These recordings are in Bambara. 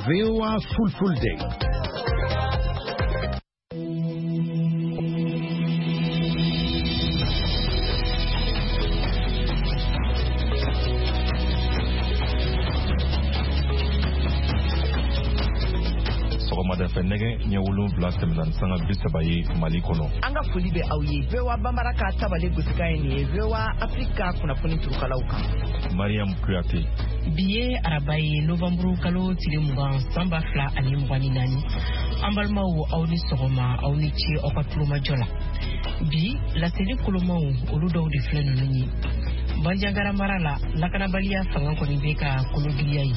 VOA Fulfulde. Sɔgɔmada fɛ, nɛgɛ ɲɛ 7 tɛmɛna ni sanga 30 ye Mali kɔnɔ. An ka foli bɛ aw ye. VOA Bambara ka tabale gosikan ye nin ye, VOA Afrique ka kunnafoni turukalaw kan. Mariam Kuyate. Bi ye araba ye, novanburu kalo tile 20, san 2024. An balimaw, aw ni sɔgɔma, aw ni ce aw ka tulomajɔ la. Bi laseli kolomaw, olu dɔw de filɛ ninnu ye. Banjagara mara la, lakanabaliya fanga kɔni bɛ ka kologiriya ye,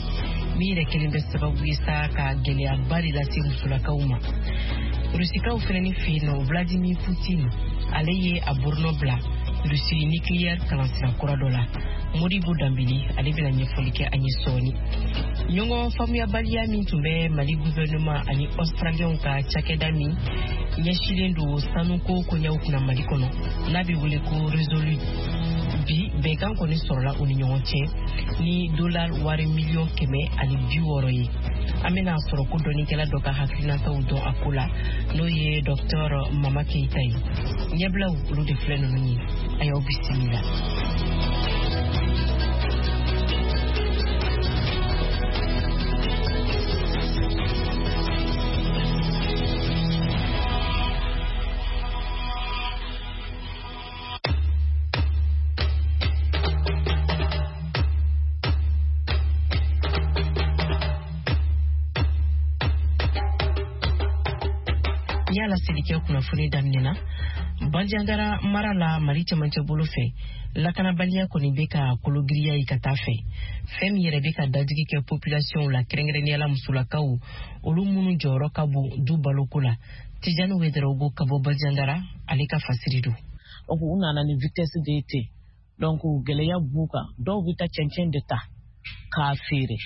min yɛrɛ kelen bɛ sababu ye sa ka gɛlɛyaba de lase musolakaw ma. Rusikaw fɛnɛni fɛ yen nɔ, Vladimir Putin, ale ye a boronɔ bila Rusi nucléaire kalansira kura dɔ la. Modibo Danbele, ale bɛna ɲɛfɔli kɛ an ye sɔɔni. Ɲɔgɔn faamuyabaliya min tun bɛ Mali gouvernement ani Australienw ka cakɛda min ɲɛsilen don sanuko koɲɛw kunna Mali kɔnɔ, n'a bɛ wele ko Resolute, bi bɛnkan kɔni sɔrɔla u ni ɲɔgɔn cɛ ni dollar wari 160 miliyɔn ye. An bɛna sɔrɔ ko dɔnnikɛla dɔ ka hakilinataw dɔn a ko la, n'o ye Docteur Mama Keyita ye. Ɲɛbilaw, olu de filɛ ninnu ye. A y'aw bisimila. N y'a laseli kɛ kunnafoni daminɛ na, Banjagara mara la, Mali cɛmancɛ bolo fɛ, lakanabaliya kɔni bɛ ka kologiriya ye ka taa fɛ, fɛn min yɛrɛ bɛ ka dajigi kɛ population la, kɛrɛnkɛrɛnnenya la musolakaw, olu minnu jɔyɔrɔ ka bon du baloko la. Tijani Wedarawogo ka bɔ Banjagara, ale ka fasiri don. Donc u nana ni vitesse de ye ten. Donc gɛlɛya b'u kan. Dɔw bɛ taa cɛncɛn de ta k'a feere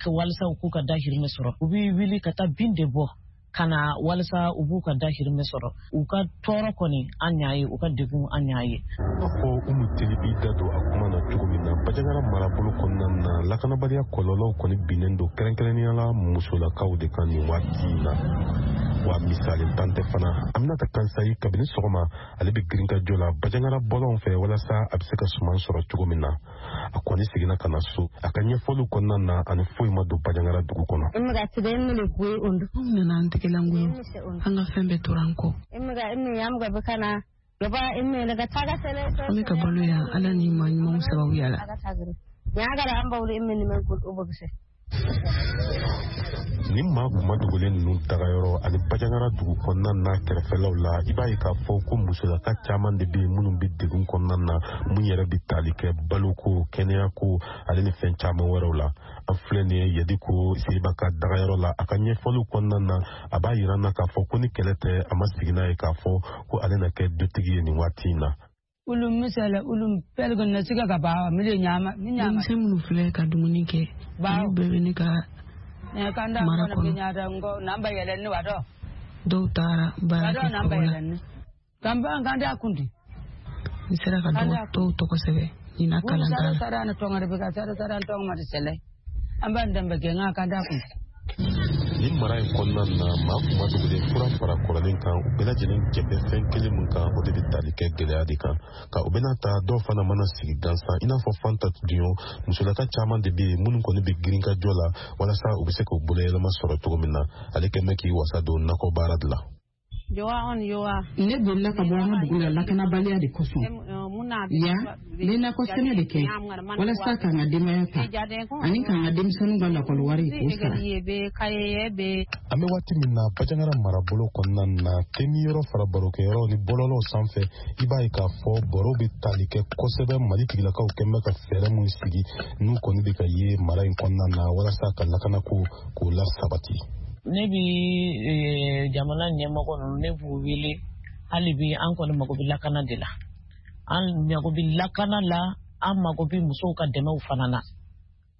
walasa u k'u ka dahirimɛ sɔrɔ. U bɛ wuli ka taa bin de bɔ ka na walasa u b'u ka dahirimɛ sɔrɔ. U ka tɔɔrɔ kɔni, an y'a ye, u ka degun, an y'a ye. N'a fɔ Umu Teli b'i da don a kuma na cogo min na, Bajangara marabolo kɔnɔna na, lakanabaliya kɔlɔlɔw kɔni binnen don kɛrɛnkɛrɛnnenya la musolakaw de kan nin waati in na. Wa misali tan tɛ fana. Aminata Kansayi, kabini sɔgɔma ale bɛ girinkajɔ la Bajangara bɔlɔn fɛ walasa a bɛ se ka suman sɔrɔ cogo min na. A kɔni seginna ka na so. A ka ɲɛfɔliw kɔnɔna na, ani foyi ma don Bajangara dugu kɔnɔ. Anw nana an tɛgɛlankolon, an ka fɛn bɛɛ tora an kɔ. An bɛ ka balo yan Ala ni maa ɲumanw sababuya la. Ni maa kuma dogolen ninnu dagayɔrɔ ani Bajangara dugu kɔnɔna n'a kɛrɛfɛlaw la, i b'a ye k'a fɔ ko musolaka caman de bɛ yen minnu bɛ degun kɔnɔna na, mun yɛrɛ bɛ tali kɛ baloko, kɛnɛyako ale ni fɛn caman wɛrɛw la. An filɛ nin ye Yadi ko Siriba ka dagayɔrɔ la. A ka ɲɛfɔliw kɔnɔna na, a b'a yira n na k'a fɔ ko ni kɛlɛ tɛ, a ma sigi n'a ye k'a fɔ ko ale na kɛ dutigi ye nin waati in na. Denmisɛn minnu filɛ ka dumuni kɛ, olu bɛɛ bɛ ne ka mara kɔnɔ. Dɔw taara baara kɛ foro la. N sera ka dɔw tɔgɔ sɛbɛn ɲinan kalanta la. Nin mara in kɔnɔna na, maa kuma dogolen fura fara kɔrɔlen kan, u bɛɛ lajɛlen jɛ bɛ fɛn kelen min kan, o de bɛ tali kɛ gɛlɛya de kan. Ka u bɛna ta, dɔw fana mana sigi gansan, i n'a fɔ Fanta Duɲɔ. Musolaka caman de bɛ yen minnu kɔni bɛ girinkajɔ la walasa u bɛ se k'u boloyɛlɛma sɔrɔ cogo min na. Ale kɛn bɛ k'i wasa don nakɔ baara de la. Ne bolila ka bɔ an ka dugu la lakanabaliya de kosɔn. Yan, n bɛ nakɔ sɛnɛ de kɛ walasa k'an ka denbaya ta ani k'an ka denmisɛnninw ka lakɔli wari k'o sara. An bɛ waati min na, Bajangara marabolo kɔnɔna na, temi yɔrɔ fara barokɛyɔrɔ ni bɔlɔlɔw sanfɛ, i b'a ye k'a fɔ baro bɛ tali kɛ kosɛbɛ Mali tigilakaw kɛn bɛ ka fɛɛrɛ mun sigi, n'u kɔni bɛ ka ye mara in kɔnɔna na walasa ka lakanako k'o lasabati. Ne bi jamana ɲɛmɔgɔ ninnu, ne b'u wele hali bi, an kɔni mago bɛ lakana de la. An mago bɛ lakana la, an mago bɛ musow ka dɛmɛw fana na,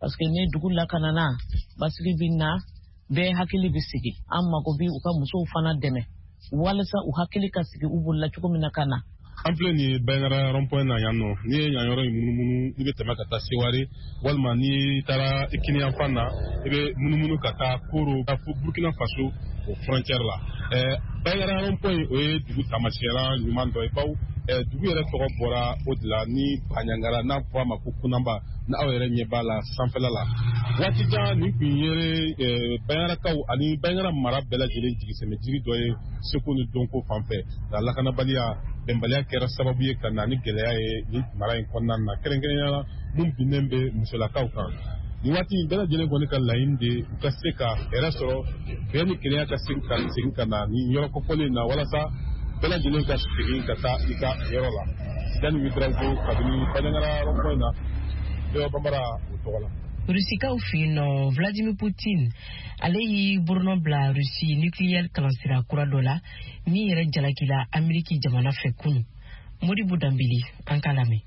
parce que ni dugu lakanana, basigi bɛ na, bɛɛ hakili bɛ sigi. An mago bɛ u ka musow fana dɛmɛ walasa u hakili ka sigi u bolila cogo min na ka na. An filɛ nin ye Bandiagara rond-point na yan nɔ. N'i ye yan yɔrɔ in munumunu, i bɛ tɛmɛ ka taa Seware, walima n'i taara i kiniyanfan na, i bɛ munumunu ka taa Koro, fo Burkina Faso o frontière la. Bandiagara rond-point, o ye dugu taamasiyɛra ɲuman dɔ ye, bawo dugu yɛrɛ tɔgɔ bɔra o de la ni Bandiagara, n'a fɔ a ma ko Kunanba, ni aw yɛrɛ ɲɛ b'a la sanfɛla la. Waati jan nin tun ye Bandiagarakaw ani Bandiagara mara bɛɛ lajɛlen jigisɛmɛ jiri dɔ ye seko ni dɔnko fan fɛ, nka lakanabaliya, bɛnbaliya kɛra sababu ye ka na ni gɛlɛya ye nin mara in kɔnɔna na, kɛrɛnkɛrɛnnenya la mun binnen bɛ musolakaw kan. Nin waati in bɛɛ lajɛlen kɔni ka laɲini de u ka se ka hɛrɛ sɔrɔ, bɛn ni kelenya ka segin ka na nin yɔrɔ kofɔlen in na, walasa bɛɛ lajɛlen ka segin ka taa i ka yɔrɔ la. Sidani Ouédraogo, kabini Bandiagara rond-point na, VOA Bambara o tɔgɔ la. Rusikaw fɛ yen nɔ, Vladimir Putin, ale y'i bolonɔ bila Rusi nucléaire kalansira kura dɔ la min yɛrɛ jalakila Ameriki jamana fɛ kunu. Modibo Danbele, an k'a lamɛn.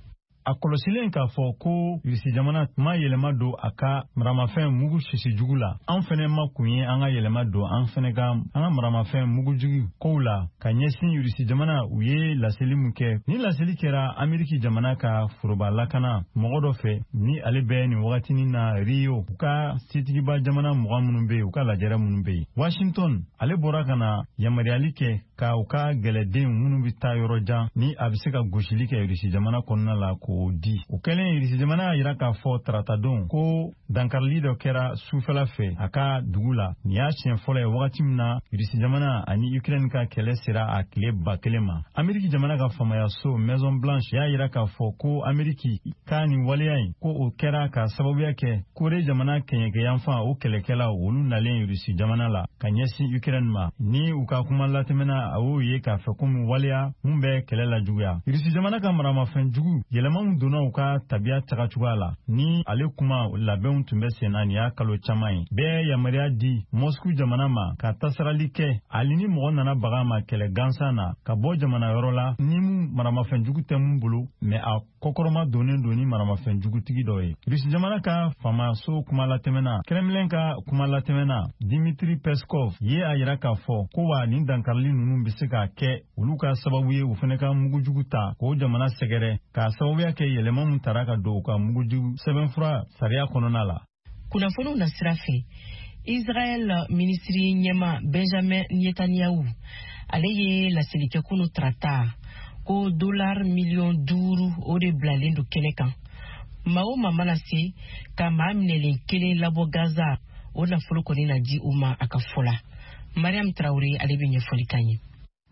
A kɔlɔsilen k'a fɔ ko Irisi jamana ma yɛlɛma don a ka maramafɛn mugu sisi jugu la, an fɛnɛ ma kun ye an ka yɛlɛma don an fɛnɛ ka an ka maramafɛn mugujugu kow la ka ɲɛsin Irisi jamana. U ye laseli mun kɛ, ni laseli kɛra Ameriki jamana ka foroba lakana mɔgɔ dɔ fɛ, ni ale bɛ nin wagatinin na Rio, u ka setigiba jamana 20 minnu bɛ yen, u ka lajɛrɛ minnu bɛ yen Washington, ale bɔra ka na yamaruyali kɛ ka u ka gɛlɛden minnu bɛ taa yɔrɔ jan, ni a bɛ se ka gosili kɛ Irisi jamana kɔnɔna la, k'o di. O kɛlen, Irisi jamana y'a yira k'a fɔ taratadon ko dankarili dɔ kɛra sufɛla fɛ a ka dugu la. Nin y'a siɲɛ fɔlɔ ye wagati min na Irisi jamana ani Ukraine ka kɛlɛ sera a tile 1000 ma. Ameriki jamana ka faamayaso Maison Blanche y'a yira k'a fɔ ko Ameriki ka nin waleya in, ko o kɛra ka sababuya kɛ Kore jamana kɛɲɛkɛyanfan o kɛlɛkɛlaw, olu nalen Irisi jamana la ka ɲɛsin Ukraine ma. Ni u ka kuma latɛmɛna, a y'o ye k'a fɛ komi waleya mun bɛ kɛlɛ la juguya. Irisi jamana ka maramafɛn jugu, yɛlɛma min donna u ka tabiya taga cogoya la, ni ale kuma labɛnw tun bɛ sen na nin y'a kalo caman ye, bɛɛ yamaruya di Moscou jamana ma ka tasarali kɛ, hali ni mɔgɔ nana baga ma kɛlɛ gansan na ka bɔ jamana yɔrɔ la, ni mun maramafɛn jugu tɛ mun bolo, mɛ a kɔkɔrɔma donnen don ni maramafɛn jugutigi dɔ ye. Rusi jamana ka faamaso kuma latɛmɛna, Kremlin ka kuma latɛmɛna Dimitri Peskov ye a yira k'a fɔ ko wa nin dankarili ninnu bɛ se ka kɛ olu ka sababu ye, u fana ka mugujugu ta k'o jamana sɛgɛrɛ, k'a sababuya kɛ yɛlɛma mun tara ka don u ka mugujugu sɛbɛnfura sariya kɔnɔna la. Kunnafoniw na sira fɛ, Israɛl minisiri ɲɛma Benjamin Netanyahu, ale ye laseli kɛ kunu tarata ko dolar miliyɔn 5, o de bilalen don kɛnɛ kan, maa o maa mana se ka maa minɛlen kelen labɔ Gaza, o nafolo kɔni na di u ma, a ka fɔ la. Mariam Tarawele, ale bɛ ɲɛfɔli k'an ye.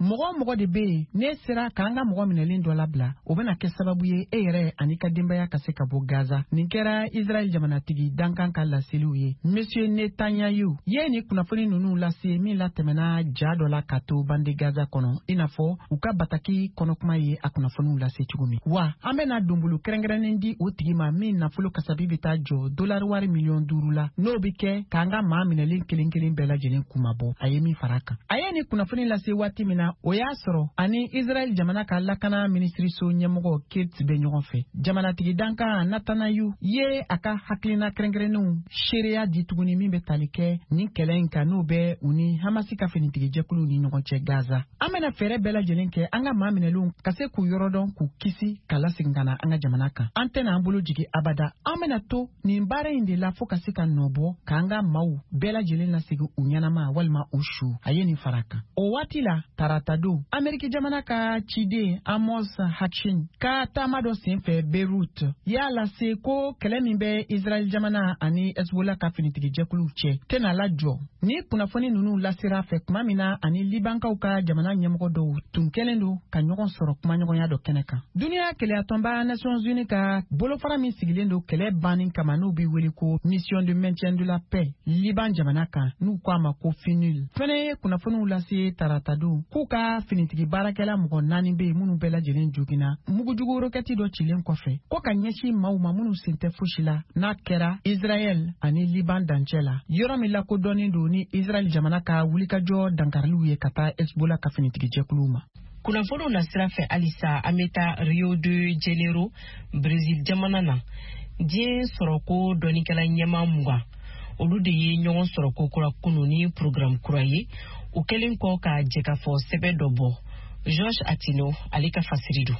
Mɔgɔ o mɔgɔ de bɛ yen n'e sera k'an ka mɔgɔ minɛlen dɔ labila, o bɛna kɛ sababu ye e yɛrɛ ani ka denbaya ka se ka bɔ Gaza. Nin kɛra Israɛl jamanatigi dankan ka laseliw ye. Monsieur Netanyahu ye nin kunnafoni ninnu lase min latɛmɛna ja dɔ la ka to bande Gaza kɔnɔ, i n'a fɔ u ka bataki kɔnɔkuma ye a kunnafoniw lase cogo min wa. An bɛna donbolo kɛrɛnkɛrɛnnen di o tigi ma min nafolo kasabi bɛ taa jɔ dolari wari miliyɔn 5 la, n'o bɛ kɛ k'an ka maa minɛlen kelen kelen bɛɛ lajɛlen kunmabɔ, a ye min fara a kan. A ye nin kunnafoni lase waati min na, o y'a sɔrɔ ani Israɛl jamana ka lakana minisiriso ɲɛmɔgɔ Kate bɛ ɲɔgɔn fɛ. Jamanatigi dankan Netanyahu ye a ka hakilina kɛrɛnkɛrɛnnenw seereya di tuguni min bɛ tali kɛ nin kɛlɛ in kan, n'o bɛ u ni Hamasi ka finitigijɛkuluw ni ɲɔgɔn cɛ Gaza. An bɛna fɛɛrɛ bɛɛ lajɛlen kɛ an ka maa minɛlenw ka se k'u yɔrɔ dɔn, k'u kisi ka lasegin ka na an ka jamana kan. An tɛna an bolo jigi abada. An bɛna to nin baara in de la fo ka se ka nɔ bɔ k'an ka maaw bɛɛ lajɛlen lasegin u ɲɛnama walima u su, a ye nin fara kan. O waati la taratadon, Ameriki jamana ka ciden Amos Hochstein ka taama dɔ senfɛ Beirut y'a lase ko kɛlɛ min bɛ Israɛl jamana ani Hezbollah ka finitigijɛkuluw cɛ tɛna lajɔ. Ni kunnafoni ninnu lasera fɛ tuma min na ani Libankaw ka jamana ɲɛmɔgɔ dɔw tun kɛlen don ka ɲɔgɔn sɔrɔ kumaɲɔgɔnya dɔ kɛnɛ kan. Duniya kelenyatɔnba Nations Unies ka bolofara min sigilen don kɛlɛ banni kama, n'u bɛ wele ko Mission de maintien de la paix Liban jamana kan, n'u ko a ma ko FINUL, fɛnɛ ye kunnafoniw lase taratadon k'u ka finitigi baarakɛla mɔgɔ naani bɛ yen minnu bɛɛ lajɛlen joginna mugujugu rokɛti dɔ cilen kɔfɛ ko ka ɲɛsin maaw ma minnu sen tɛ fosi la, n'a kɛra Israɛl ani Liban dancɛ la, yɔrɔ min lakodɔnnen don ni Israɛl jamana ka wulikajɔ dankariliw ye ka taa Hezbollah ka finitigijɛkuluw ma. Kunnafoniw na sira fɛ halisa, an bɛ taa Rio de Janeiro, Brésil jamana na. Diɲɛ sɔrɔko dɔnnikɛla ɲɛmaa 20, olu de ye ɲɔgɔn sɔrɔ ko kura kunu ni programme kura ye, u kɛlen kɔ ka jɛkafɔ sɛbɛn dɔ bɔ. Georges Atino ale ka fasiri don.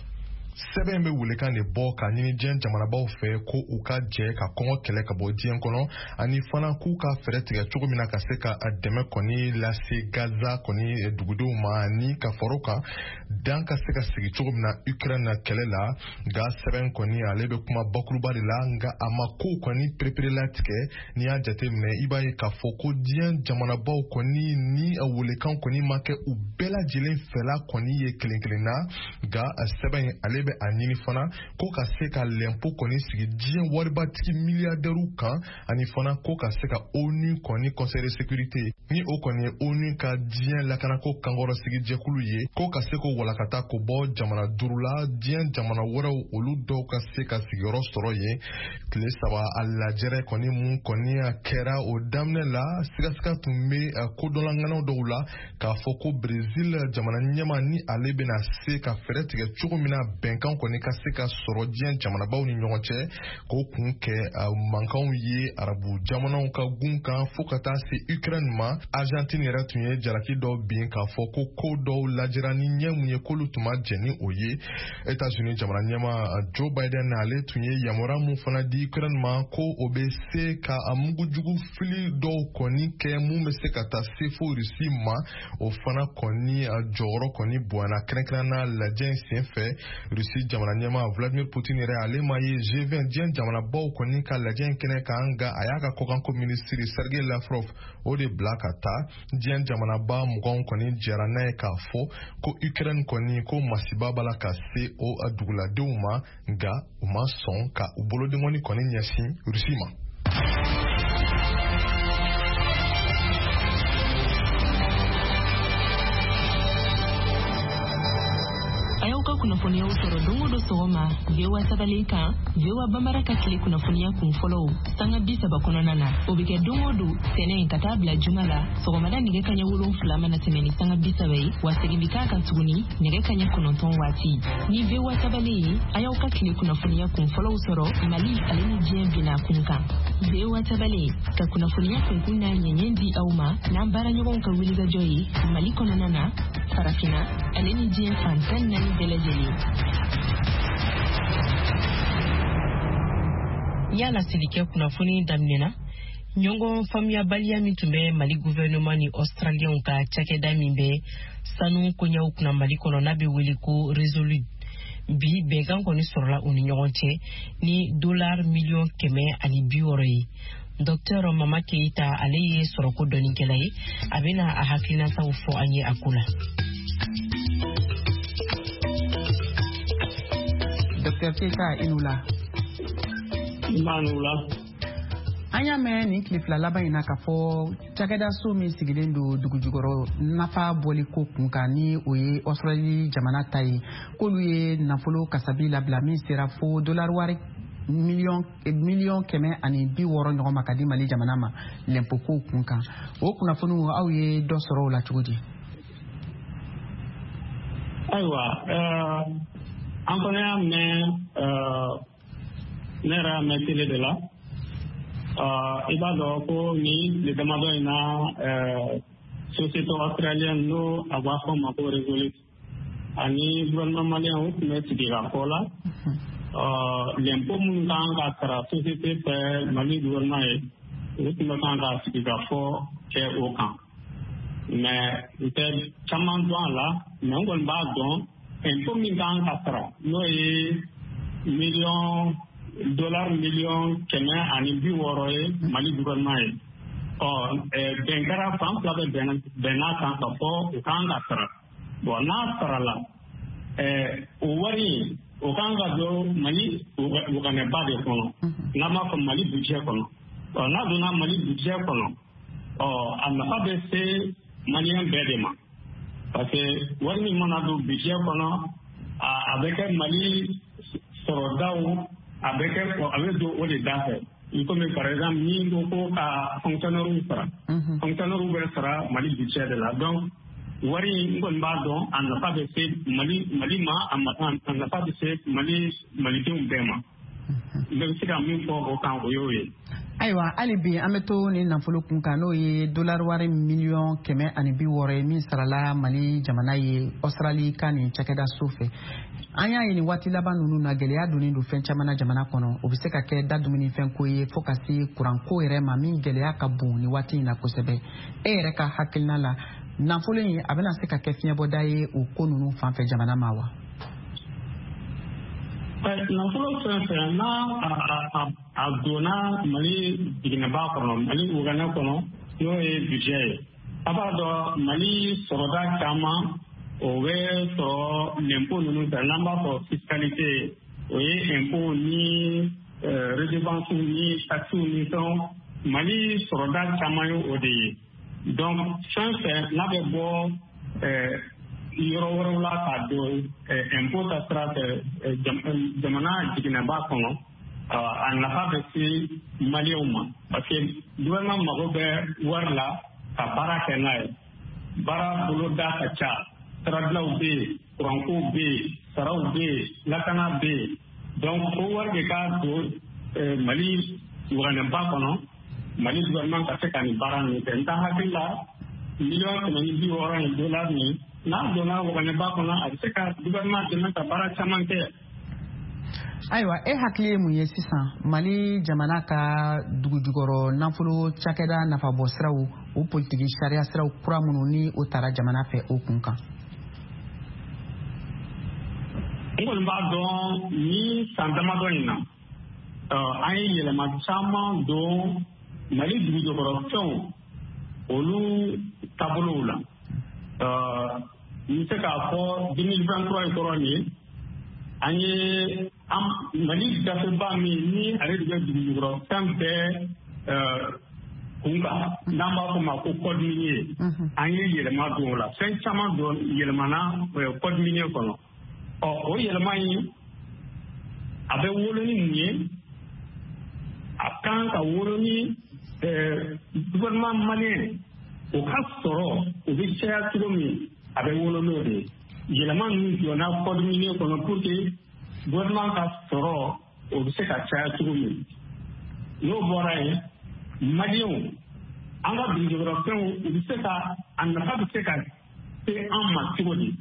Sɛbɛn bɛ welekan de bɔ ka ɲini diɲɛ jamanabaw fɛ ko u ka jɛ ka kɔngɔ kɛlɛ ka bɔ diɲɛ kɔnɔ, ani fana k'u ka fɛɛrɛ tigɛ cogo min na ka se ka dɛmɛ kɔni lase Gaza kɔni dugudenw ma, ani ka fara o kan dan ka se ka sigi cogo min na Ukraine kɛlɛ la. Nka sɛbɛn kɔni ale bɛ kuma bakuruba de la, nka a ma kow kɔni pereperelatigɛ. N'i y'a jateminɛ, i b'a ye k'a fɔ ko diɲɛ jamanabaw kɔni ni welekan kɔni ma kɛ u bɛɛ lajɛlen fɛla kɔni ye kelen kelen na. Nka sɛbɛn ale bɛ a ɲini fana ko ka se ka lɛnpo kɔni sigi diɲɛ waribatigi miliyardɛriw kan, ani fana ko ka se ka ONU kɔni conseil de sécurité, ni o kɔni ye ONU ka diɲɛ lakanako kankɔrɔsigi jɛkulu ye, ko ka se k'o walakata k'o bɔ jamana 5 la, diɲɛ jamana wɛrɛw olu dɔw ka se ka sigiyɔrɔ sɔrɔ yen. Tile 3 a lajɛrɛ kɔni mun kɔni a kɛra o daminɛ la, sigasiga tun bɛ kodɔnlaŋanaw dɔw la k'a fɔ ko Brésil jamana ɲɛmaa ni ale bɛna se ka fɛɛrɛ tigɛ cogo min na bɛnkan kɔni ka se ka sɔrɔ diɲɛ jamanabaw ni ɲɔgɔn cɛ, k'o kun kɛ mankanw ye arabu jamanaw ka gun kan fo ka taa se Ukraine ma. Argentine yɛrɛ tun ye jalaki dɔw bin k'a fɔ ko ko dɔw lajɛra ni ɲɛ mun ye k'olu tun ma jɛn ni o ye. États-Unis jamana ɲɛmaa Joe Biden ale tun ye yamaruya mun fana di Ukraine ma ko o bɛ se ka mugujugu fili dɔw kɔni kɛ mun bɛ se ka taa se fo Russie ma, o fana kɔni jɔyɔrɔ kɔni bonyana kɛrɛnkɛrɛnnenya lajɛ in senfɛ. Russie jamana ɲɛmaa Vladimir Poutine yɛrɛ ale ma ye G20 diɲɛ jamanabaw kɔni ka lajɛ in kɛnɛ kan, nka a y'a ka kɔkanko minisiri Sergei Lavrov o de bila ka taa. Diɲɛ jamanaba 20 kɔni jɛra n'a ye k'a fɔ ko Ukraine kɔni ko masiba b'a la ka se o duguladenw ma, nka u ma sɔn ka u bolodenkɔni kɔni ɲɛsin Russie ma. A y'aw ka kunnafoniyaw sɔrɔ don o don sɔgɔma VOA tabalen kan, VOA Bambara ka tile kunnafoniya kun fɔlɔw sanga 30 kɔnɔna na. O bɛ kɛ don o don tɛnɛn ka taa bila juma la sɔgɔmada nɛgɛ kaɲɛ 7 mana tɛmɛ ni sanga 30 ye, wa segin bɛ k'a kan tuguni nɛgɛ kaɲɛ 9 waati. Ni VOA tabalen ye, a y'aw ka tile kunnafoniya kun fɔlɔw sɔrɔ Mali ale ni diɲɛ binna kun kan. VOA tabalen ka kunnafoniya kunkun n'a ɲɛɲɛ di aw ma n'an baaraɲɔgɔnw ka wulikajɔ ye Mali kɔnɔna na, Farafinna ale ni diɲɛ fan 14 bɛɛ lajɛlen. N y'a laseli kɛ kunnafoni daminɛna, ɲɔgɔn faamuyabaliya min tun bɛ Mali gouvernement ni Australienw ka cakɛda min bɛ sanu koɲɛw kunna Mali kɔnɔ n'a bɛ wele ko Resolute, bi bɛnkan kɔni sɔrɔla u ni ɲɔgɔn cɛ ni $160 million ye. Docteur Mama Keita ale ye sɔrɔko dɔnnikɛla ye, a bɛna a hakilinataw fɔ an ye a ko la. Docteur Keita, i ni wula. Nba ni wula. An y'a mɛn nin tile 2 laban in na k'a fɔ cakɛdaso min sigilen don dugujukɔrɔ nafa bɔli ko kun kan, ni o ye Australie jamana ta ye, k'olu ye nafolo kasabi labila min sera fo dollar wari miliyɔn 160 ɲɔgɔn ma ka di Mali jamana ma lɛnpo kow kun kan. O kunnafoniw aw ye dɔ sɔrɔ o la cogo di? Ayiwa, an fana y'a mɛn, ne yɛrɛ y'a mɛn télé de la. I b'a dɔn ko nin tile damadɔ in na, société australienne n'o a b'a fɔ ma ko Resolute ani gouvernement malien u tun bɛ sigi ka fɔ la. Lɛnpo minnu kan ka sara société fɛ Mali gouvernement ye, u tun bɛ kan ka sigi ka fɔ kɛ o kan. Mais n tɛ caman dɔn a la, mais n kɔni b'a dɔn impôt min kan ka sara n'o ye $160 million ye Mali gouvernement ye. Ɔ bɛn kɛra fan 2 bɛ bɛnna kan ka fɔ o kan ka sara. Bon, n'a sarala, o wari o kan ka don Mali waganɛba de kɔnɔ, n'an b'a fɔ Mali budget kɔnɔ. Ɔ n'a donna Mali budget kɔnɔ, ɔ a nafa bɛ se maliyɛn bɛɛ de ma, parce que wari min mana don budget kɔnɔ, a bɛ kɛ Mali sɔrɔdaw, a bɛ don o de da fɛ. I komi par exemple ni ko ka fonctionnaire sara, fonctionnaire bɛ sara Mali budget de la. Donc wari in n kɔni b'a dɔn a nafa bɛ se Mali ma, a nafa bɛ se Malidenw bɛɛ ma. N bɛ se ka min fɔ o kan o y'o ye. Ayiwa, hali bi an bɛ to nin nafolo kun kan, n'o ye dolari wari 160 miliyɔn ye min sarala Mali jamana ye Australie ka nin cakɛda so fɛ. An y'a ye nin waati laban ninnu na, gɛlɛya donnen don fɛn caman na jamana kɔnɔ. O bɛ se ka kɛ da dumunifɛn ko ye, fo ka se kuranko yɛrɛ ma, min gɛlɛya ka bon nin waati in na kosɛbɛ. E yɛrɛ ka hakilina la, nafolo in a bɛna se ka kɛ fiɲɛbɔda ye o ko ninnu fan fɛ jamana ma wa? Nafolo fɛn fɛn n'a a donna Mali jiginɛba kɔnɔ, Mali wagane kɔnɔ, n'o ye budget ye, a b'a dɔn Mali sɔrɔda caman o bɛ sɔrɔ l'impôt ninnu fɛ, n'an b'a fɔ fiscalité, o ye impôt ni redevance ni taxes ni fɛnw. Mali sɔrɔda caman ye o de ye. Donc fɛn fɛn n'a bɛ bɔ yɔrɔ wɛrɛw la ka don impôt ta sira fɛ jamana jiginɛba kɔnɔ, a nafa bɛ se Maliyɛnw ma, parce que gouvernement mago bɛ wari la ka baara kɛ n'a ye. Baara boloda ka ca, sirabilaw bɛ yen, kurankow bɛ yen, saraw bɛ yen, lakana bɛ yen. Donc ko wari de ka don Mali waganɛba kɔnɔ, Mali gouvernement ka se ka nin baara ninnu kɛ. N ta hakili la, 160 miliyɔn in dolari nin, n'a donna waganɛba kɔnɔ, a bɛ se ka gouvernement dɛmɛ ka baara caman kɛ. Ayiwa, e hakili ye mun ye sisan Mali jamana ka dugujukɔrɔ nafolo cakɛda nafabɔ siraw, o politiki sariya siraw kura minnu ni o tara jamana fɛ, o kun kan? N kɔni b'a dɔn ni san damadɔ in na, an ye yɛlɛma caman don Mali dugujukɔrɔfɛnw olu taabolow la. N bɛ se k'a fɔ 2023 in kɔrɔ nin ye, an ye Mali gafeba min ni ale de bɛ dugujukɔrɔfɛn bɛɛ kun kan, n'an b'a fɔ ma ko code minier, an ye yɛlɛma don o la. Fɛn caman don yɛlɛmana code minier kɔnɔ. Ɔ, o yɛlɛma in, a bɛ wolo ni mun ye? A kan ka wolo ni gouvernement malien o ka sɔrɔ o bɛ caya cogo min, a bɛ wolo n'o de ye. Yɛlɛma ninnu donna code minier kɔnɔ pour que gouvernement ka sɔrɔ o bɛ se ka caya cogo min. N'o bɔra yen, Maliyɛnw, an ka dugujukɔrɔfɛnw, u bɛ se ka a nafa bɛ se ka se an ma cogo di?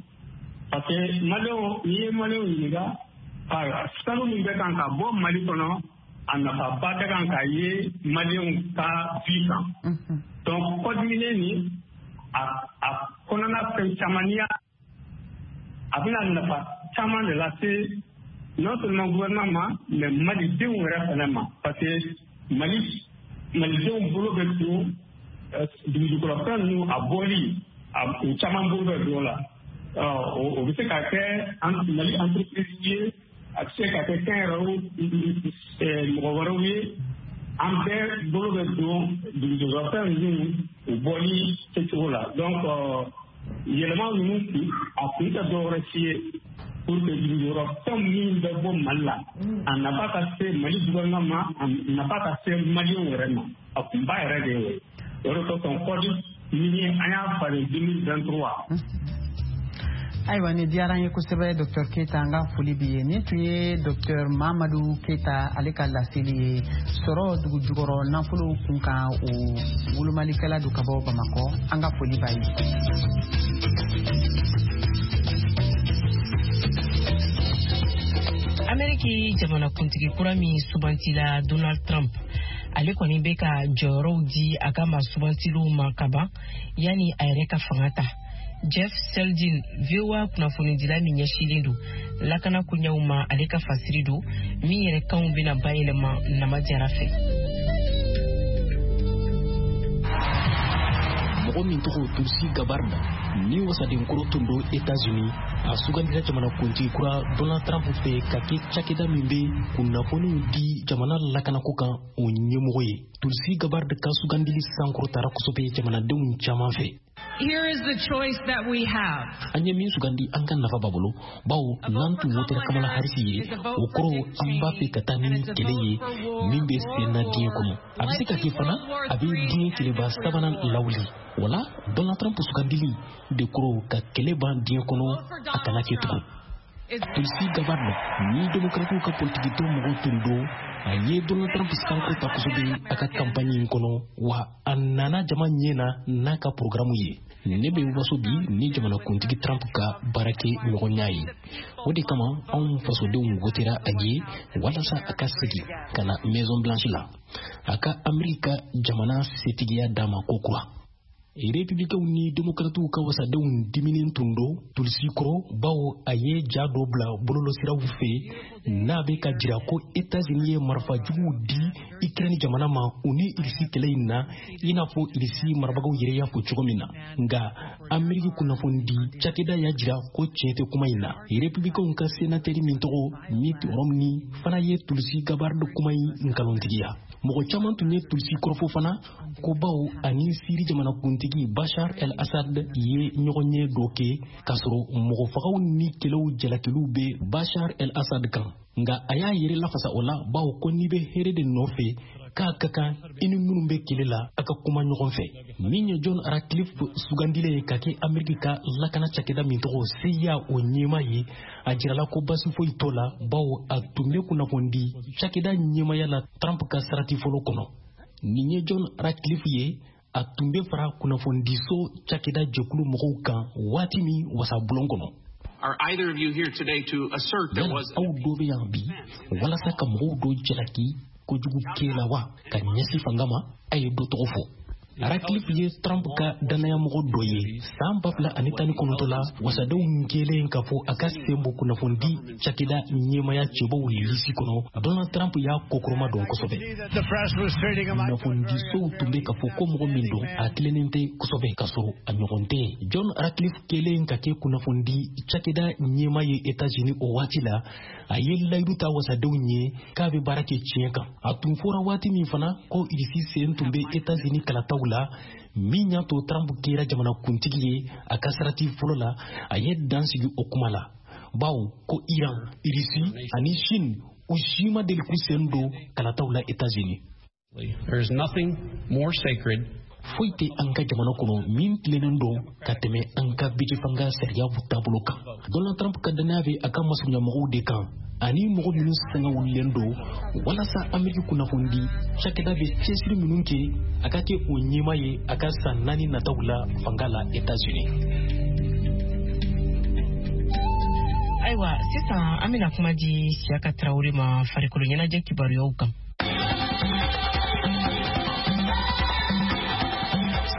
Parce que Maliyɛnw, n'i ye Maliyɛnw ɲininka, sanu min bɛ kan ka bɔ Mali kɔnɔ, a nafaba tɛ kan ka ye Maliyɛnw ka vie kan. Donc code minier nin, a kɔnɔna fɛn caman, n'i y'a, a bɛna nafa caman de lase non seulement gouvernement ma, mais Malidenw yɛrɛ fana ma, parce que Mali Malidenw bolo bɛ don dugujukɔrɔfɛn ninnu a bɔli, u caman bolo bɛ don o la. O bɛ se ka kɛ Mali entreprise ye, a bɛ se ka kɛ kɛnyɛrɛye mɔgɔ wɛrɛw ye. An bɛɛ bolo bɛ don dugujukɔrɔfɛn ninnu u bɔli kɛcogo la. Donc yɛlɛma ninnu kun, a kun tɛ dɔwɛrɛ si ye pour que dugujukɔrɔfɛn min bɛ bɔ Mali la, a nafa ka se Mali gouvernement ma, a nafa ka se Maliyɛnw yɛrɛ ma. A kunba yɛrɛ de ye o ye. O de kosɔn code minier, an y'a falen 2023. Ayiwa, nin diyara an ye kosɛbɛ, Dr Keyita, an ka foli bi ye. Nin tun ye Dr Mamadu Keyita, ale ka laseli ye sɔrɔ dugujukɔrɔ nafolo kun kan, o wolomalikɛla don ka bɔ Bamakɔ. An ka foli b'a ye. Ameriki jamanakuntigi kura min sugantila, Donald Trump, ale kɔni bɛ ka jɔyɔrɔw di a ka maa sugantiliw ma kaban yanni a yɛrɛ ka fanga ta. Jeff Seldin, VOA kunnafonidila min ɲɛsinnen don lakana koɲɛw ma, ale ka fasiri don min yɛrɛ kanw bɛna bayɛlɛma Nama Jara fɛ. Mɔgɔ min tɔgɔ Tulsi Gabbard, ni wasadenkɔrɔ tun don Etats-Unis, a sugandira jamanakuntigi kura Donald Trump fɛ ka kɛ cakɛda min bɛ kunnafoniw di jamana lakanako kan, o ɲɛmɔgɔ ye. Tulsi Gabbard ka sugandili sankɔrɔtara kosɛbɛ jamanadenw caman fɛ. Here is the choice that we have. An ye min sugandi, an ka nafa b'a bolo, bawo n'an tun wotera Kamala Harris ye, o kɔrɔ an b'a fɛ ka taa ni kɛlɛ ye min bɛ sen na diɲɛ kɔnɔ. A bɛ se ka kɛ fana a bɛ diɲɛ kɛlɛba sabanan lawuli. Wala Donald Trump sugandili de kɔrɔ ka kɛlɛ ban diɲɛ kɔnɔ, a kana kɛ tugun. Tulsi Gabbard ni Demokratiw ka politikitɔn mɔgɔw tun don, a ye Donald Trump sankɔrɔta ta kosɛbɛ a ka kanpaɲi in kɔnɔ, wa a nana jama ɲɛ na n'a ka porogaramu ye. Ne bɛ waso bi ni jamanakuntigi Trump ka baarakɛ ɲɔgɔnya ye. O de kama anw fasodenw wotera a ye walasa a ka segin ka na Maison Blanche la, a ka Ameriki ka jamana setigiya d'a ma kokura. Republicainw ni Demokratiw ka wasadenw diminen tun don Tulsi kɔrɔ, bawo a ye ja dɔ bila bɔlɔlɔsiraw fɛ n'a bɛ ka jira ko Etats-Unis ye marifa juguw di Ukraine jamana ma u ni Irisi kɛlɛ in na, i n'a fɔ Irisi marabagaw yɛrɛ y'a fɔ cogo min na. Nka Ameriki kunnafonidi cakɛda y'a jira ko tiɲɛ tɛ kuma in na. Republicainw ka senatɛri min tɔgɔ Mitt Romney fana ye Tulsi Gabbard kuma in nkalontigiya. Mɔgɔ caman tun ye Tulsi kɔrɔfɔ fana ko bawo ani Siri jamanakuntigi Bashar el-Assad ye ɲɔgɔnye dɔ kɛ k'a sɔrɔ mɔgɔfagaw ni kɛlɛw jalakiliw bɛ Bashar el-Assad kan. Nka a y'a yɛrɛ lafasa o la, bawo ko n'i bɛ hɛrɛ de nɔfɛ, k'a ka kan i ni minnu bɛ kɛlɛ la a ka kuma ɲɔgɔn fɛ. Min ye John Ratcliffe sugandilen ye ka kɛ Ameriki ka lakana cakɛda min tɔgɔ CIA o ɲɛmaa ye, a jirala ko basi foyi t'o la, bawo a tun bɛ kunnafonidi cakɛda ɲɛmaaya la Trump ka sarati fɔlɔ kɔnɔ. Nin ye John Ratcliffe ye, a tun bɛ fara kunnafonidiso cakɛda jɛkulu mɔgɔw kan waati min wasabulon kɔnɔ. Yala aw dɔ bɛ yan bi walasa ka mɔgɔw dɔ jalaki kojugu kɛ la wa ka ɲɛsin fanga ma? A ye dɔ tɔgɔ fɔ. Ratcliffe ye Trump ka dannayamɔgɔ dɔ ye. San 2019 la, wasadenw kɛlen k'a fɔ a ka sen bɔ kunnafonidi cakɛda ɲɛmaya cɛbɔw lisi kɔnɔ, Donald Trump y'a kokɔrɔma dɔn kosɛbɛ. Kunnafonidisow tun bɛ k'a fɔ ko mɔgɔ min don, a tilennen tɛ kosɛbɛ, k'a sɔrɔ a ɲɔgɔn tɛ. John Ratcliffe kɛlen ka kɛ kunnafonidi cakɛda ɲɛma ye États-Unis o waati la, a ye layidu ta wasadenw ye k'a bɛ baara kɛ tiɲɛ kan. A tun fɔra waati min fana ko Irisi sen tun bɛ États-Unis kalataw la, min y'a to Trump kɛra jamanakuntigi ye a ka sarati fɔlɔ la, a ye dan sigi o kuma la, bawo ko Iran, Irisi ani Chine, u si ma deli k'u sen don kalataw la États-Unis. There is nothing more sacred. Foyi tɛ an ka jamana kɔnɔ min tilennen don ka tɛmɛ an ka bɛjɛfanga sariya taabolo kan. Donald Trump ka dannaya bɛ a ka masurunyamɔgɔw de kan ani mɔgɔ minnu sanga wulilen don walasa Ameriki kunnafonidi cakɛda bɛ cɛsiri minnu kɛ, a ka kɛ o ɲɛmaa ye a ka san 4 nataw la fanga la États-Unis. Ayiwa, sisan an bɛna kuma di Siyaka Tarawele ma farikolo ɲɛnajɛ kibaruyaw kan.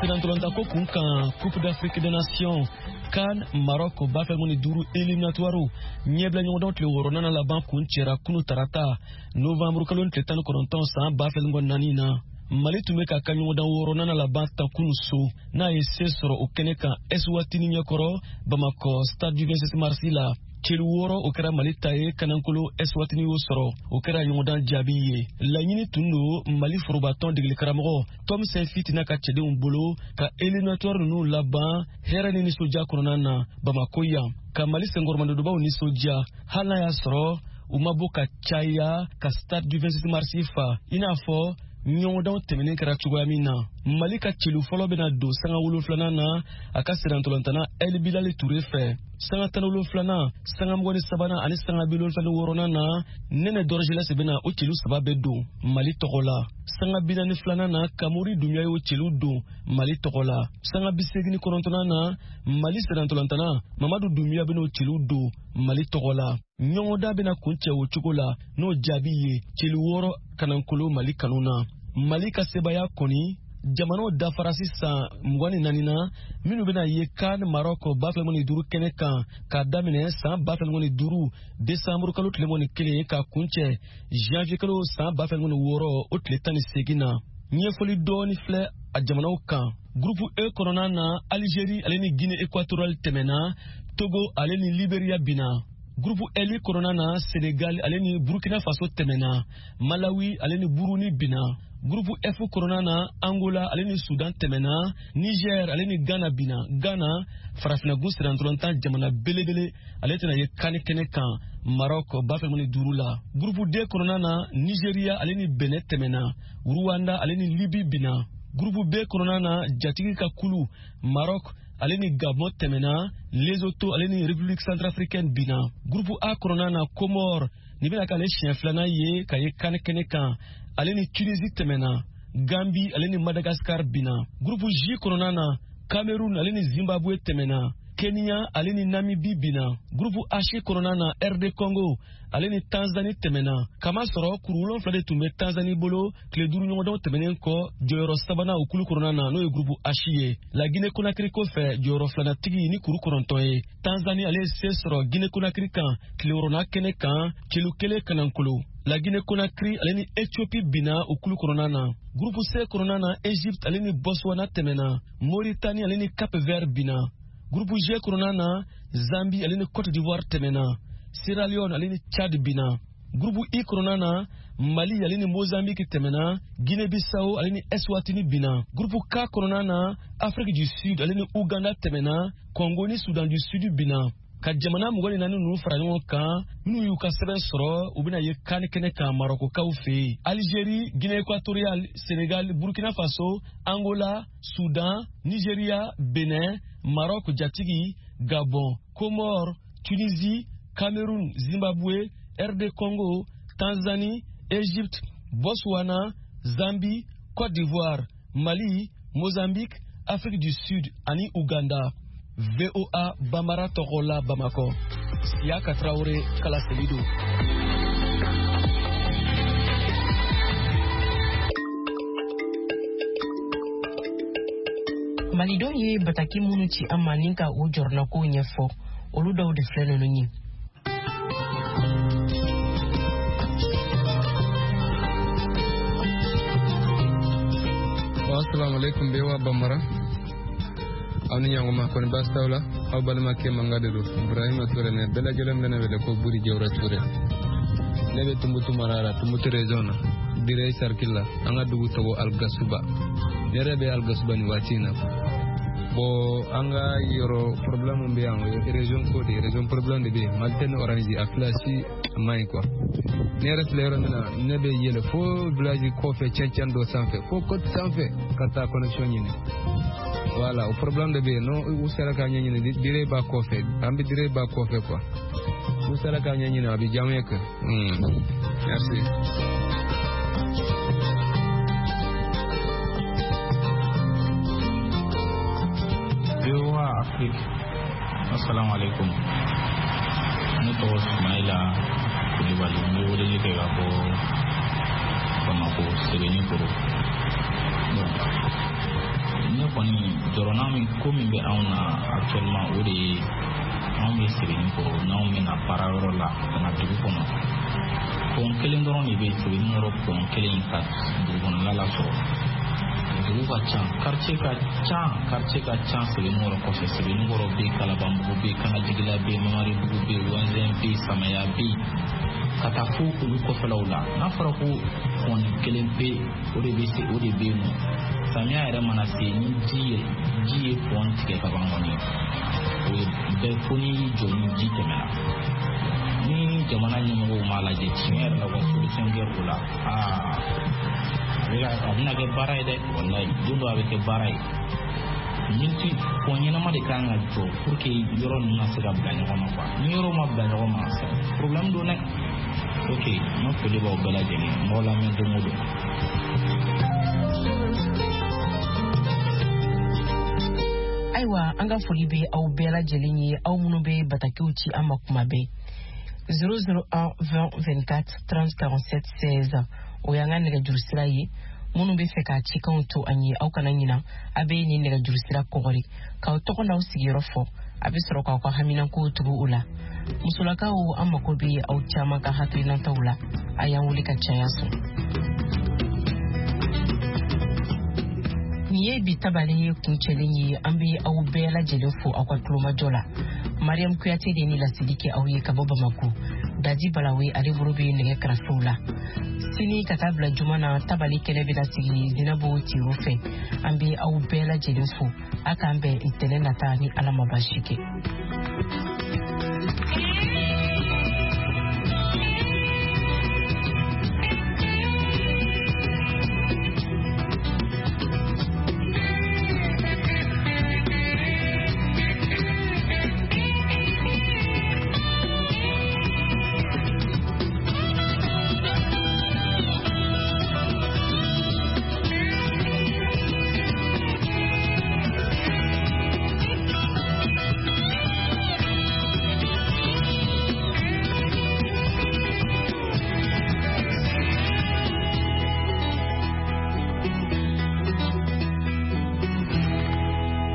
Sirantolantako kun kan, Coupe d'Afrique des Nations CAN Maroc 2025 éliminatoire ɲɛbila ɲɔgɔndanw tile 6nan laban kun cɛra kunu tarata novembre kalo tile 19 san 2024 na. Mali tun bɛ k'a ka ɲɔgɔndan 6nan laban ta kunu so, n'a ye se sɔrɔ o kɛnɛ kan Eswatini ɲɛkɔrɔ Bamakɔ stade du 26 mars la. Celu 6 o kɛra Mali ta ye, kanankolo Eswatini y'o sɔrɔ. O kɛra ɲɔgɔndan jaabi ye. Laɲini tun don Mali forobatɔn degeli karamɔgɔ Tom Saintfiet n'a ka cɛdenw bolo ka éliminatoire ninnu laban hɛrɛ ni nisɔndiya kɔnɔna na Bamakɔ yan, ka Mali senkɔrɔmadonbaw nisɔndiya, hali n'a y'a sɔrɔ u ma bɔ ka caya ka stade du 26 mars fa i n'a fɔ ɲɔgɔndanw tɛmɛnen kɛra cogoya min na. Mali ka celu fɔlɔ bɛna don sanga 7nan na a ka sirantolantana El Bilal Touré fɛ. Sanga 17nan, sanga 23nan ani sanga 76nan na, Nɛnɛ Dɔrɔjilɛsi bɛna o celu 3 bɛɛ don Mali tɔgɔ la. Sanga 42nan na, Kamori Dunbiya y'o celu don Mali tɔgɔ la. Sanga 89nan na, Mali sirantolantana Mamadu Dunbiya bɛn'o celu don Mali tɔgɔ la. Ɲɔgɔndan bɛna kuncɛ o cogo la n'o jaabi ye celu 6 kanankolo Mali kanu na. Mali ka sebaya kɔni jamanaw dafara sisan 24 na minnu bɛna ye CAN Maroc 2025 kɛnɛ kan k'a daminɛ san 2025 décembre kalo tile 21 ka kuncɛ janvier kalo san 2026 o tile 18 na. Ɲɛfɔli dɔɔni filɛ a jamanaw kan. Groupe E kɔnɔna na, Algérie ale ni Guinée équatoriale tɛmɛna, Togo ale ni Libéria binna. Groupe L kɔnɔna na, Sénégal ale ni Burkina Faso tɛmɛna, Malawi ale ni Burundi binna. Groupe F kɔnɔna na, Angola ale ni Soudan tɛmɛna, Niger ale ni Ghana binna. Ghana, farafinnagun sirantolatan jamana belebele, ale tɛna ye CAN kɛnɛ kan Maroc 2025 la. Groupe D kɔnɔna na, Nigeria ale ni Benin tɛmɛna, Rwanda ale ni Libye binna. Groupe B kɔnɔna na, jatigi ka kulu Maroc, ale ni Gabon tɛmɛna, Lesotho ale ni République centrafricaine binna. Groupe A kɔnɔna na, Comore nin bɛna k'ale siɲɛ filanan ye ka ye CAN kɛnɛ kan, ale ni Tunisie tɛmɛna. Gambie ale ni Madagascar binna. Groupe J kɔnɔna na, Cameroun ale ni Zimbabwe tɛmɛna. Kenya ale ni Namibie binna. Groupe H kɔnɔna na, RD Congo ale ni Tanzanie tɛmɛna. Kamasɔrɔ kuru 7 de tun bɛ Tanzanie bolo tile 5 ɲɔgɔndanw tɛmɛnen kɔ jɔyɔrɔ sabanan o kulu kɔnɔna na, n'o ye groupe H ye. La Guinée Conakry kɔfɛ jɔyɔrɔ filanatigi ni kuru 9 ye. Tanzanie ale ye se sɔrɔ Guinée Conakry kan tile wɔɔrɔnan kɛnɛ kan celu 1 kanankolo. La Guinée Conakry ale ni Ethiopie binna o kulu kɔnɔna na. Groupe C kɔnɔna na, Egypte ale ni Botswana tɛmɛna. Mauritanie ale ni Cap Vert binna. Groupe G kɔnɔna na, Zambie ale ni Côte d'Ivoire tɛmɛna. Sierra Leone ale ni Tchad binna. Groupe I kɔnɔna na, Mali ale ni Mozambique tɛmɛna. Guinée-Bissau ale ni Eswatini binna. Groupe K kɔnɔna na, Afrique du Sud ale ni Ouganda tɛmɛna. Congo ni Soudan du Sud binna. Ka jamana 24 ninnu fara ɲɔgɔn kan, minnu y'u ka sɛbɛn sɔrɔ, u bɛna ye CAN kɛnɛ kan Marɔkokaw fɛ yen. Algérie, Guinée équatoriale, Sénégal, Burkina Faso, Angola, Soudan, Nigeria, Benin, Maroc jatigi, Gabon, Comores, Tunisie, Cameroun, Zimbabwe, RD Congo, Tanzanie, Égypte, Botswana, Zambie, Côte d'Ivoire, Mali, Mozambique, Afrique du Sud ani Ouganda. VOA Bambara tɔgɔ la Bamakɔ, Siyaka Traoré kalaseli don. Malidenw ye bataki minnu ci an ma ni ka u jɔrɔnakow ɲɛfɔ, olu dɔw de filɛ ninnu ye. Assalamu alaikum VOA Bambara. Aw ni ɲanguma, kɔni baasi t'aw la? Aw balimakɛ manga de don, Ibrahima Ture. Ne bɛɛ lajɛlen bɛ ne wele ko Buri Jawura Ture. Ne bɛ Tumutu mara la, Tumutu région na, Direy cercle la. An ka dugu tɔgɔ Algasuba. Ne yɛrɛ bɛ Algasuba nin waati in na. Bon, an ka yɔrɔ problème min bɛ yan, o ye région ko de ye. Région problème de bɛ yen. Malitel ni Orange a fila si man ɲi quoi. Ne yɛrɛ filɛ yɔrɔ min na, ne bɛ yɛlɛ fo village kɔfɛ, cɛncɛn dɔ sanfɛ, fo côte sanfɛ, ka taa connexion ɲini. Voilà, o problème de bɛ yen. N'o u sera k'a ɲɛɲini, dire b'a kɔfɛ, an bɛ dire b'a kɔfɛ quoi. N'u sera k'a ɲɛɲini, a bɛ diya n ye quoi. Merci. VOA Afrique, assalamu alaikum. Ne tɔgɔ Sumayila Kulibali, n bɛ weleli kɛ ka bɔ Bamako Sebenikoro. Bon, ne kɔni jɔrɔna min ko min bɛ anw na actuellement, o de ye anw bɛ Sebenikoro, n'anw bɛna baarayɔrɔ la ka na dugu kɔnɔ, pont kelen dɔrɔn de bɛ Sebenikɔrɔ, pont kelen ka dugu kɔnɔna lasɔrɔ. Dugu ka ca, quartier ka ca, quartier ka ca Sebenikɔrɔ kɔfɛ. Sebenikɔrɔ bɛ yen, Kalabanbugu bɛ yen, Kanajigila bɛ yen, Mamaribugu bɛ yen, Wɛnzɛn bɛ yen, Samaya bɛ yen, ka taa fo olu kɔfɛlaw la. N'a fɔra ko pont kelen pe, o de bɛ se, o de bɛ yen nɔ. Samiya yɛrɛ mana se, ni ji ye pont tigɛ ka ban kɔni, o ye bɛɛ fo n'i y'i jɔ ni ji tɛmɛna. Ni jamana ɲɛmɔgɔw m'a lajɛ tiɲɛ yɛrɛ la, u ka solution kɛ o la, aa, a bɛna kɛ baara ye dɛ. Walayi, don dɔ a bɛ kɛ baara ye. Minti pont ɲɛnama de kan ka jɔ pour que yɔrɔ ninnu ka se ka bila ɲɔgɔn ma quoi. Ni yɔrɔ ma bila ɲɔgɔn ma, problème don dɛ. Ok, n ka foli b'aw bɛɛ lajɛlen, n b'aw lamɛn don o don. Ayiwa, an ka foli bɛ aw bɛɛ lajɛlen ye, aw minnu bɛ batakiw ci an ma kuma bɛɛ. 001 20 24 30 47 16, o y'an ka nɛgɛjuru sira ye. Minnu bɛ fɛ ka cikanw to an ye, aw kana ɲina, a bɛ nin nɛgɛjuru sira kɔgɔri k'aw tɔgɔ n'aw sigiyɔrɔ fɔ, a bɛ sɔrɔ k'aw ka haminankow tugu o la. Musolakaw, an mako bɛ aw caman ka hakilinataw la, a y'an wele ka caya sɔn. Nin ye bi tabale ye kuncɛlen ye. An bɛ aw bɛɛ lajɛlen fo aw ka tulomajɔ la. Mariam Kuyate de ni laseli kɛ aw ye ka bɔ Bamako. Daji Balawe, ale bolo bɛ nɛgɛ karafew la. Sini ka taa bila juma na, tabali kɛnɛ bɛna sigi Zinabo Tiro fɛ. An bɛ aw bɛɛ lajɛlen fo. A k'an bɛn ntɛnɛn nata ni Ala ma baasi kɛ.